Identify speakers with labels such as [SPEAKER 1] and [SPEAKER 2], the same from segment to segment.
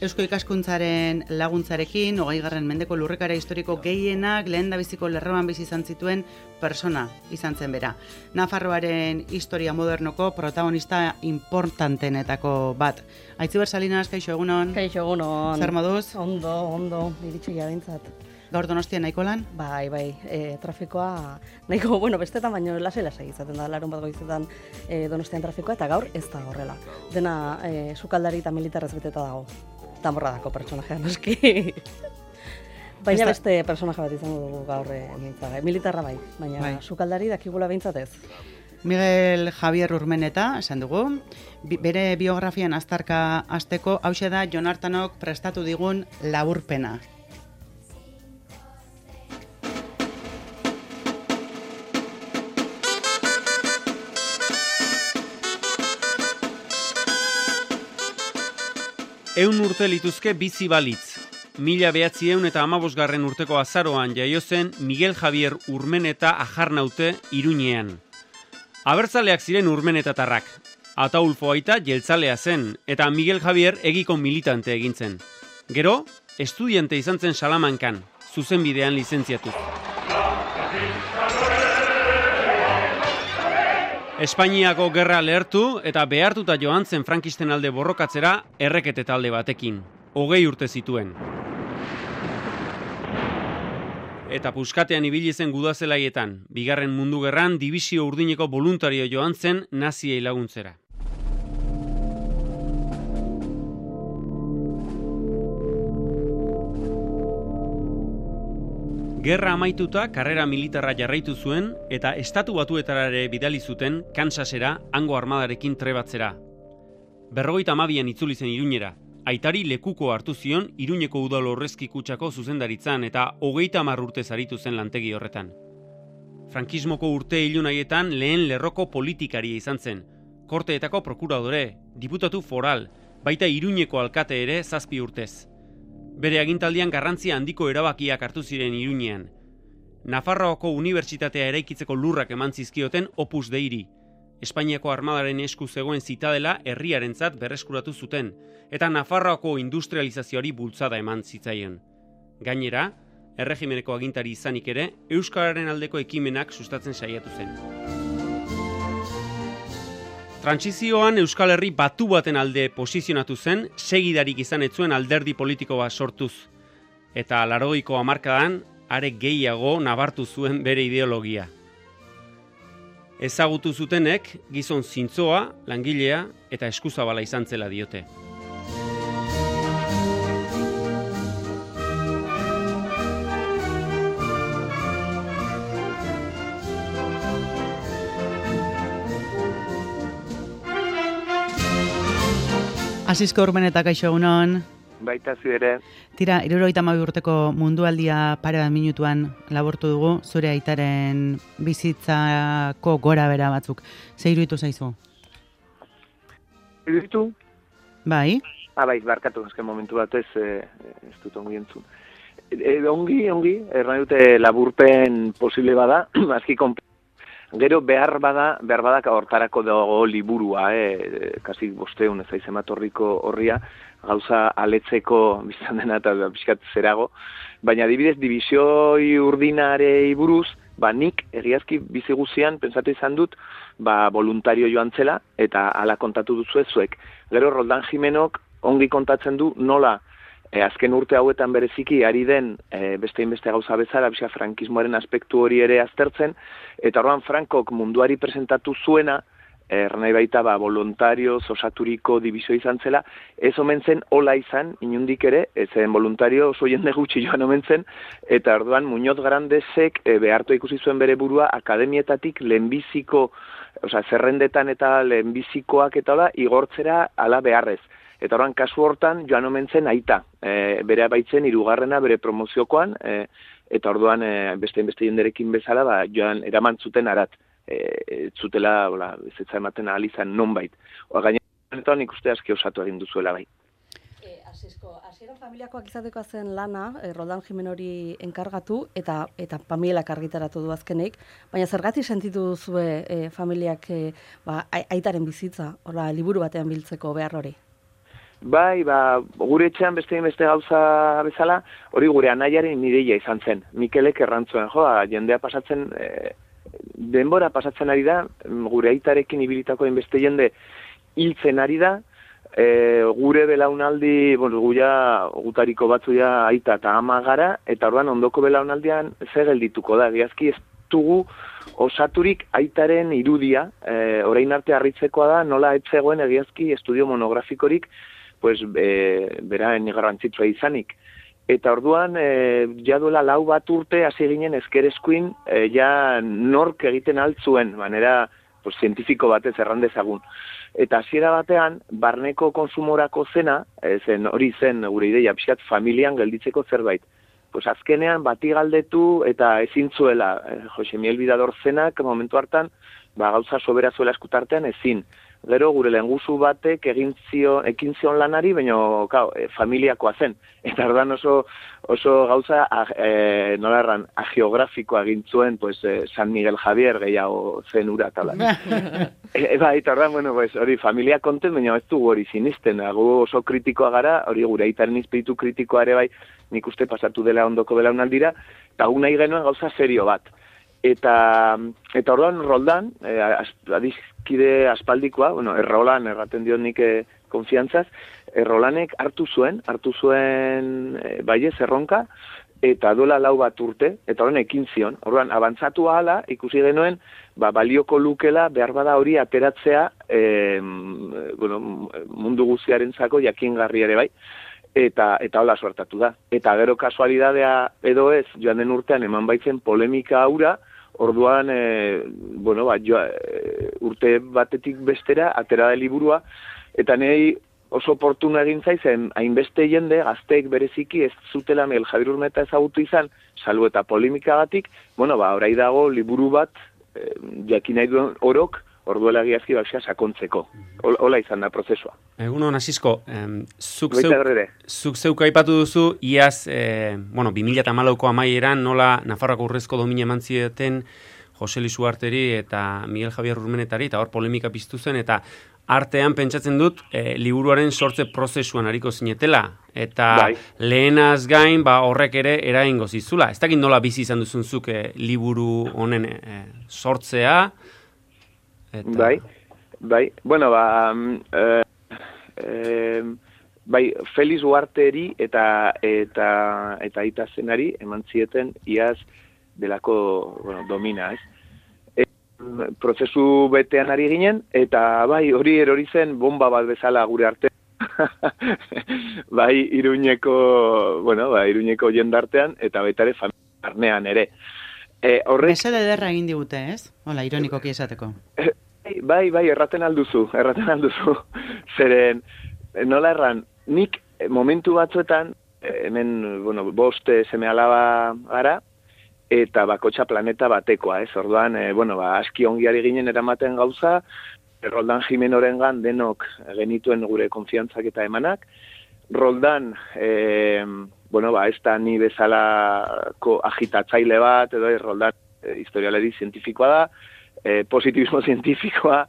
[SPEAKER 1] Eusko ikaskuntzaren laguntzarekin, 20. mendeko lurrikara historiko gehienak lehendabiziko lerroan bizi izan zituen persona izan zen bera. Nafarroaren historia modernoko protagonista importantenetako bat. Aitziber Salinas, kaixo egunon?
[SPEAKER 2] Kaixo egunon.
[SPEAKER 1] Zer moduz?
[SPEAKER 2] Ondo, iritsi jabintzat.
[SPEAKER 1] Gaur Donostian nahiko lan?
[SPEAKER 2] Bai, trafikoa nahiko, bestetan baino lasai izaten da, larun bat goizetan Donostian trafikoa, eta gaur ez da horrela. Dena sukaldari eta militarrez beteta dago. Tamborradako pertsonajea noski. Baina beste personaje bat izango dugu gaur militarra bai, baina sukaldari dakigula behintzat ez.
[SPEAKER 1] Miguel Javier Urmeneta, esan dugu, bere biografian aztarka hasteko, hauxe da Jon Artanok prestatu digun laburpena.
[SPEAKER 3] Ehun urte lituzke bizi balitz. 1915 urteko azaroan jaio zen Miguel Javier Urmeneta Ajarnaute Iruñean. Abertzaleak ziren urmenetatarrak. Ataulfo aita jeltzalea zen, eta Miguel Javier egiko militante egin zen. Gero, estudiante izan zen Salamankan, zuzenbidean lizentziatuz. Espainiako gerra lehertu eta behartuta joan zen frankisten alde borrokatzera errekete talde batekin. 20 urte zituen. Eta puskatean ibili zen gudazelaietan, Bigarren Mundu Gerran dibisio urdineko boluntario joan zen naziei laguntzera. Gerra amaituta karrera militarra jarraitu zuen eta Estatu Batuetara ere bidali zuten Kansasera hango armadarekin trebatzera. 52an itzuli zen Iruñera. Aitari lekuko hartu zion Iruñeko udal horrezki kutsako zuzendaritzan eta 30 urte zaritu zen lantegi horretan. Frankismoko urte ilunaietan lehen lerroko politikaria izan zen. Korteetako prokuradore, diputatu foral, baita Iruñeko alkate ere 7 urtez. Bere agintaldian garrantzia handiko erabakiak hartu ziren Iruñean. Nafarroako unibertsitatea eraikitzeko lurrak eman zizkioten Opus Deiri. Espainiako armadaren esku zegoen zitadela herriarentzat berreskuratu zuten, eta Nafarroako industrializazioari bultzada eman zitzaion. Gainera, erregimeneko agintari izanik ere, euskararen aldeko ekimenak sustatzen saiatu zen. Trantsizioan Euskal Herri batu baten alde posizionatu zen, segidarik izan ez zuen alderdi politiko bat sortuz. Eta 80ko hamarkadan, are gehiago nabartu zuen bere ideologia. Ezagutu zutenek, gizon zintzoa, langilea eta eskuzabala izan zela diote.
[SPEAKER 1] Asisko Urmeneta, kaixo egunon.
[SPEAKER 4] Baita zu ere.
[SPEAKER 1] Tira, 72 urteko mundualdia pare bat minutuan laburtu dugu, zure aitaren bizitzako gora bera batzuk. Ze iruditu zaizu?
[SPEAKER 4] Iruditu?
[SPEAKER 1] Bai.
[SPEAKER 4] Bai, barkatu, azken momentu bat ez dut ongi entzun. Ongi, erran dute laburpen posible bada, azki gero behar bada hortarako dago liburua, kasi 500 ez aizemat horria, gauza aletzeko biztan dena eta pixkat zerago. Baina adibidez, dibizioi urdinarei buruz, nik egiazki bizi guzian pentsatu izan dut, voluntario joan zela eta hala kontatu duzu zuek. Gero Roldan Jimenok ongi kontatzen du nola azken urte hauetan bereziki ari den beste gauza bezala, frankismoaren aspektu hori ere aztertzen, eta orduan Frankok munduari presentatu zuena, ernai baita voluntarioz osaturiko dibizio izan zela, ez omen zen hola izan, inundik ere, ezen voluntario oso jende gutxi joan omen zen, eta orduan Muñoz Grandesek behartu ikusi zuen bere burua akademietatik lehenbiziko, zerrendetan eta lehenbizikoak eta hola, igortzera ala beharrez. Eta orduan kasu hortan joan omen zen aita, bere baitzen 3. bere promoziokoan, eta orduan beste jenderekin bezala joan eraman zuten arat. Zutela, bezetza ematen ahal izan nonbait. Gainera, nik uste aski osatu egin duzuela bai.
[SPEAKER 2] Hasieran familiakoak izateko zen lana, Roldan Jimenori enkargatu, eta familiak argitaratu du azkenik, baina zergatik sentitu duzue familiak aitaren bizitza, liburu batean biltzeko behar hori?
[SPEAKER 4] Bai, gure etxean beste gauza bezala, hori gure anaiaren ideia izan zen. Mikelek errantzuen, jendea pasatzen, denbora pasatzen ari da, gure aitarekin ibilitako beste jende hiltzen ari da, gure belaunaldi, gutariko batzu ja aita eta ama gara, eta orduan ondoko belaunaldian zer geldituko da, egiazki ez dugu osaturik aitaren irudia, orain arte harritzekoa da, nola etzegoen egiazki estudio monografikorik, beraen garrantzitsua izanik. Eta orduan, ja duela 4 urte hasi ginen ezkereskuin, ja nork egiten altzuen, manera zientifiko batez errandezagun. Eta hasiera batean, barneko konsumorako zena, hori zen gure ideia, pixkat familian gelditzeko zerbait. Azkenean bati galdetu eta ezin zuela, Jose Miel Bidador zenak momentu hartan, gauza sobera zuela eskutartean ezin. Gero gure lehenguzu batek ekin zion lanari, baina familiakoa zen. Eta ordan oso gauza, nola erran, geografikoa egin zuen, San Miguel Javier gehiago zen ura talan. Eta ordan, hori familia konten, baina ez dugu hori sinisten. Gu oso kritikoa gara, hori gure aitaren izpiritu kritikoa ere bai, nik uste pasatu dela ondoko belaunaldira, eta gu nahi genuen gauza serio bat. Eta orduan Roldan, adizkide aspaldikoa, Errolan, erraten diot nik konfiantzaz, Errolanek hartu zuen bai erronka, eta duela 4 urte, eta horren ekin zion. Orduan, abantzatu ahala, ikusi genuen, balioko lukela behar bada hori ateratzea mundu guztiarentzako jakingarri ere bai, eta hola suertatu da. Eta gero kasualidadea edo ez, joan den urtean eman baitzen polemika aura, orduan, urte batetik bestera, atera da liburua, eta nahi oso oportuna egin zaizen, hainbeste jende, gazteek bereziki ez zutela Miguel Javier Urmeta ezagutu izan, salbu eta polemikagatik, orai dago liburu bat, jakin nahi duen orok, orduela egiazki sakontzeko. Hola izan da prozesua.
[SPEAKER 3] Egunon, Asisko, zuk zeuk aipatu duzu, iaz, 2014ko amaieran, nola Nafarroako urrezko domina eman zieten Jose Luis Ugarteri eta Miguel Javier Urmenetari, eta hor polemika piztu zen, eta artean pentsatzen dut, liburuaren sortze prozesuan hariko zinetela, eta lehenaz gain, horrek ere eragingo zizula. Ez dakit nola bizi izan duzun zuk liburu honen sortzea,
[SPEAKER 4] Bai. Felix Ugarteri eta aita zenari eman zieten iaz delako, domina, ez? Prozesu betean ari ginen, eta hori erori zen bomba bat bezala gure arte. Iruñeko jendartean, eta baita ere familiarnean ere.
[SPEAKER 1] Mesede ederra egin digute, ez? Hola, ironikoki esateko.
[SPEAKER 4] Bai, erraten alduzu. Zeren, nola erran, nik momentu batzuetan, hemen, 5 seme-alaba gara, eta bakotxa planeta batekoa, ez? Orduan, aski ongiari ginen eramaten gauza, Roldan Jimenorengan denok genituen gure konfiantzak eta emanak. Roldan, ez da ni bezalako agitatzaile bat, edo Roldan historialeri zientifikoa da, positibismo zientifikoa,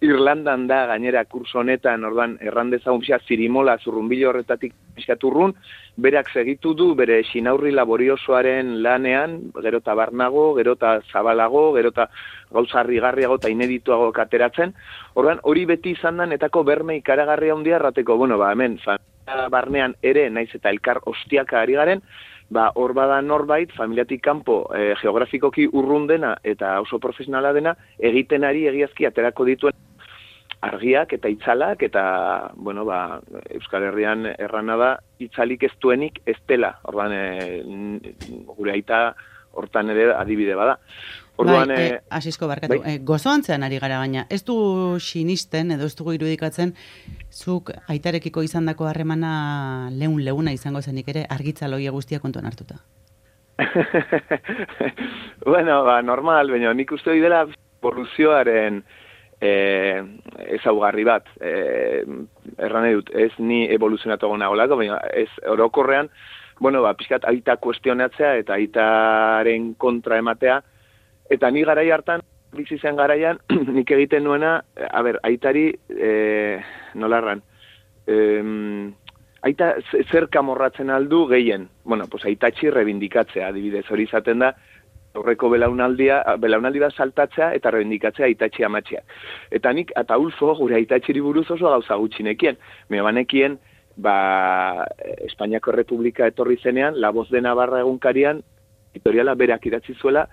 [SPEAKER 4] Irlandan da gainera kurso honetan, ordan errandezagun zirimola zurrunbilo horretatik piskaturrun, berak segitu du bere xinaurri laboriosoaren lanean, gero eta barnago, gero eta zabalago, gero eta gauza harrigarriago eta inedituago kateratzen. Ordan hori beti izan da netako berme ikaragarria handia errateko, hemen barnean ere naiz eta elkar ostiaka ari garen, hor bada norbait, familiatik kanpo geografikoki urrun dena eta oso profesionala dena, egiten ari egiazki aterako dituen argiak eta itzalak, eta, Euskal Herrian errana da, itzalik ez duenik ez dela, orduan, gure aita hortan ere adibide bada.
[SPEAKER 1] Asisko barkatu, gozoantzean ari gara baina, ez du sinisten, edo ez dugu irudikatzen, zuk aitarekiko izandako harremana leuna izango zenik ere, argitzaloia guztia kontuan hartuta.
[SPEAKER 4] Normal, baina nik uste dela evoluzioaren ezaugarri bat. Erran edut, ez ni evoluzionatu gona olako, baina ez orokorrean, pixkat aita kuestionatzea eta aitaren kontra ematea. Eta ni garai hartan, bizi zen garaian, nik egiten nuena, aitari, nolarran, aita zer kamorratzen aldu gehien. Bueno, pues aitatxi rebindikatzea, adibidez, hori izaten da, aurreko belaunaldi bat saltatzea eta rebindikatzea aitatxi amatxia. Eta nik, eta Ulfo, gure aitatxiri buruz oso gauza gutxinekien. Banekien, Espainiako Errepublika etorri zenean, La Voz de Navarra egunkarian, editoriala berak idatzi zuela,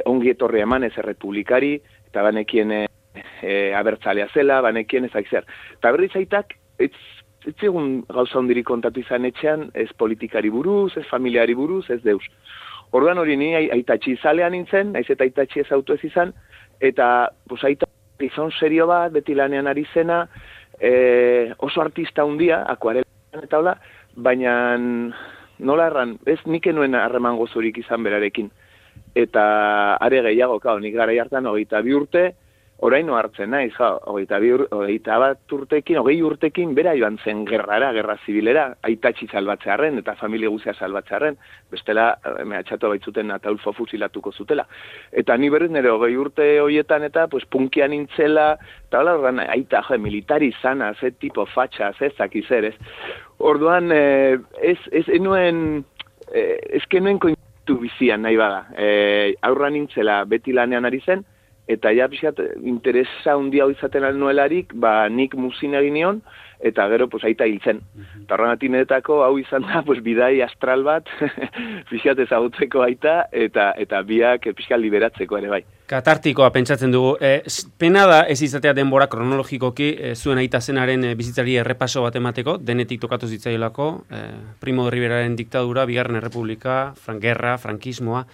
[SPEAKER 4] ongi etorri eman ez errepublikari, eta banekien abertzalea zela, banekien ezak zer. Eta berriz aitak, ez egun gauza hondirik kontatu izan etxean, ez politikari buruz, ez familiari buruz, ez deus. Orduan hori ni aitatxi izalean nintzen, naiz eta aitatxi ez auto ez izan, eta aitatxi izan serio bat, beti lanean ari zena, oso artista hundia, akuarela eta hola, baina nola erran, ez nik enuen harreman gozurik izan berarekin. Eta are gehiago, nik gara hartan 22 urte, oraino hartzen naiz, 21 urtekin, 20 urtekin, bera joan zen gerra zibilera, aitatxi salbatzearen eta familia guzia salbatzearen, bestela mehatxatu baitzuten Ataulfo fusilatuko zutela. Eta ni berriz nire 20 urte horietan eta punkian nintzela, eta hola, aita, militari zana, ze tipo fatxa, ze zakizer, ez? Orduan, enuen kointu bizian nahi bada. Aurra nintzela beti lanean ari zen, eta ja pixat interesa handia izaten alnuelarik, nik muzin egin nion, eta gero aita hiltzen. Eta horren atinetako hau izan da bidai astral bat, pixat ezagutzeko aita, eta biak pixat liberatzeko ere bai.
[SPEAKER 3] Katartikoa pentsatzen dugu. Pena da ez izatea denbora kronologikoki zuen aita zenaren bizitzari errepaso bat emateko, denetik tokatu zitzaiolako, Primo de Riveraren diktadura, Bigarren Errepublika, gerra, frankismoa.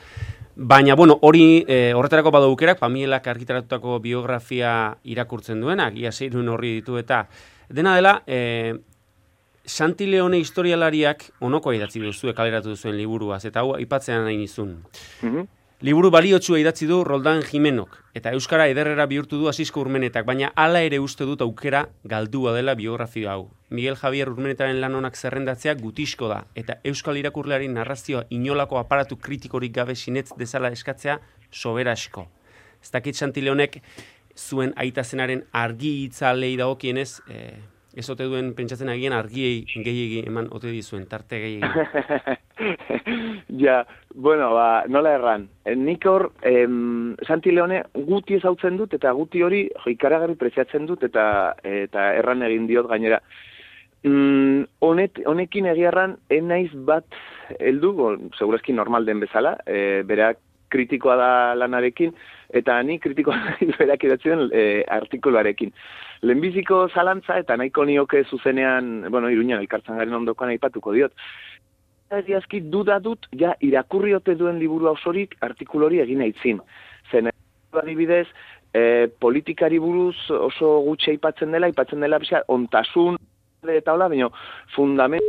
[SPEAKER 3] Baina, horretarako badu aukerak, Pamielak argitaratutako biografia irakurtzen duenak, ia 6 horri ditu eta dena dela, Santi Leone historialariak onoko idatzi duzue kaleratu duzuen liburuaz, eta hau aipatzean nahi nizun. Liburu baliotsua idatzi du Roldan Jimenok, eta euskara ederrera bihurtu du Asisko Urmenetak, baina hala ere uste dut aukera galdua dela biografia hau. Miguel Javier Urmenetaren lan onak zerrendatzea gutisko da, eta euskal irakurleari narrazioa inolako aparatu kritikorik gabe sinetz dezala eskatzea soberasko. Ez dakit Santi Leonek zuen aita zenaren argi itzalei dagokienez, ez ote duen pentsatzen agian argiei gehiegi eman ote dizuen, tarte gehiegi.
[SPEAKER 4] Ja, nola erran. Nik hor, Santi Leone guti ezautzen dut, eta guti hori ikaragarri preziatzen dut, eta erran egin diot gainera. Honekin egiarran, enaiz bat heldu, segurazki normal den bezala, berak kritikoa da lanarekin, eta ni kritikoa berak idatzen artikuluarekin. Lehenbiziko zalantza, eta nahiko nioke zuzenean, Iruñan elkartzan garen ondokoan aipatuko diot. Egiazki duda dut, irakurri ote duen liburu osorik artikulori egin aitzin. Zen, adibidez, politikari buruz oso gutxe aipatzen dela pixka, ontasun eta hola, baina fundament...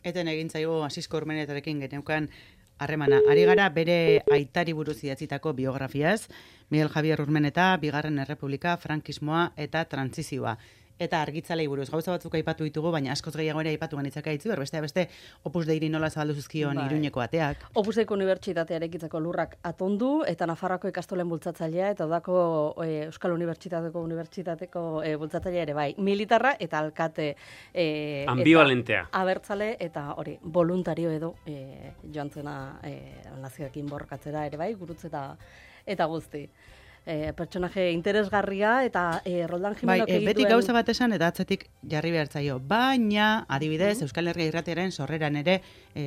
[SPEAKER 1] Eten egin zaigu Asisko Urmenetarekin geneukan harremana. Ari gara bere aitari buruz idatzitako biografiaz, Miguel Javier Urmeneta, Bigarren Errepublika, frankismoa eta trantsizioa. Eta argitzalei buruz gauza batzuk aipatu ditugu, baina askoz gehiago ere aipatu ganitzaka itzu, beste Opus Deiri nola zabaldu zuzkion Iruñeko ateak. Opus
[SPEAKER 2] Deiko unibertsitatea erekitzeko lurrak atondu, eta Nafarroako ikastolen bultzatzailea, eta odako Euskal Unibertsitateko bultzatzailea ere bai. Militarra eta alkate
[SPEAKER 3] ambivalentea.
[SPEAKER 2] Abertzale eta hori, voluntario edo joan zena nazioekin borrokatzera ere bai, gurutze eta guzti. Pertsonaje interesgarria eta Roldan Jimenok egituen...
[SPEAKER 1] Beti gauza bat esan eta atzetik jarri behartzaio. Baina, adibidez, Euskal Herria Irratiaren sorreran ere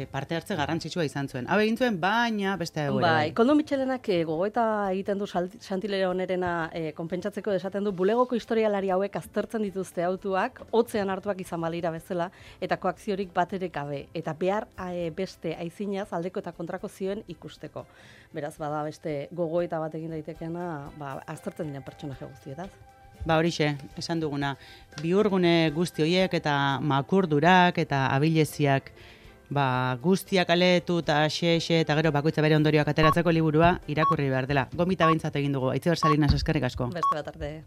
[SPEAKER 1] parte hartze garrantzitsua izan zuen. Hau egin zuen, baina beste egoera.
[SPEAKER 2] Koldo Mitxelenak gogoeta egiten du Santi Leonerena konpentsatzeko esaten du, bulegoko historialari hauek aztertzen dituzte autuak, hotzean hartuak izan balira bezala, eta koakziorik bat ere gabe. Eta behar beste aizinaz aldeko eta kontrako zioen ikusteko. Beraz, bada beste gogoeta bat egin daitekeena, aztertzen diren pertsonaje guztietaz.
[SPEAKER 1] Horixe, esan duguna, bihurgune guzti horiek eta makurdurak eta abileziak guztiak aletu eta xe eta gero bakoitza bere ondorioak ateratzeko liburua irakurri behar dela. Gomita behintzat egin dugu. Aitziber Salinas, eskerrik asko.
[SPEAKER 2] Beste bat arte.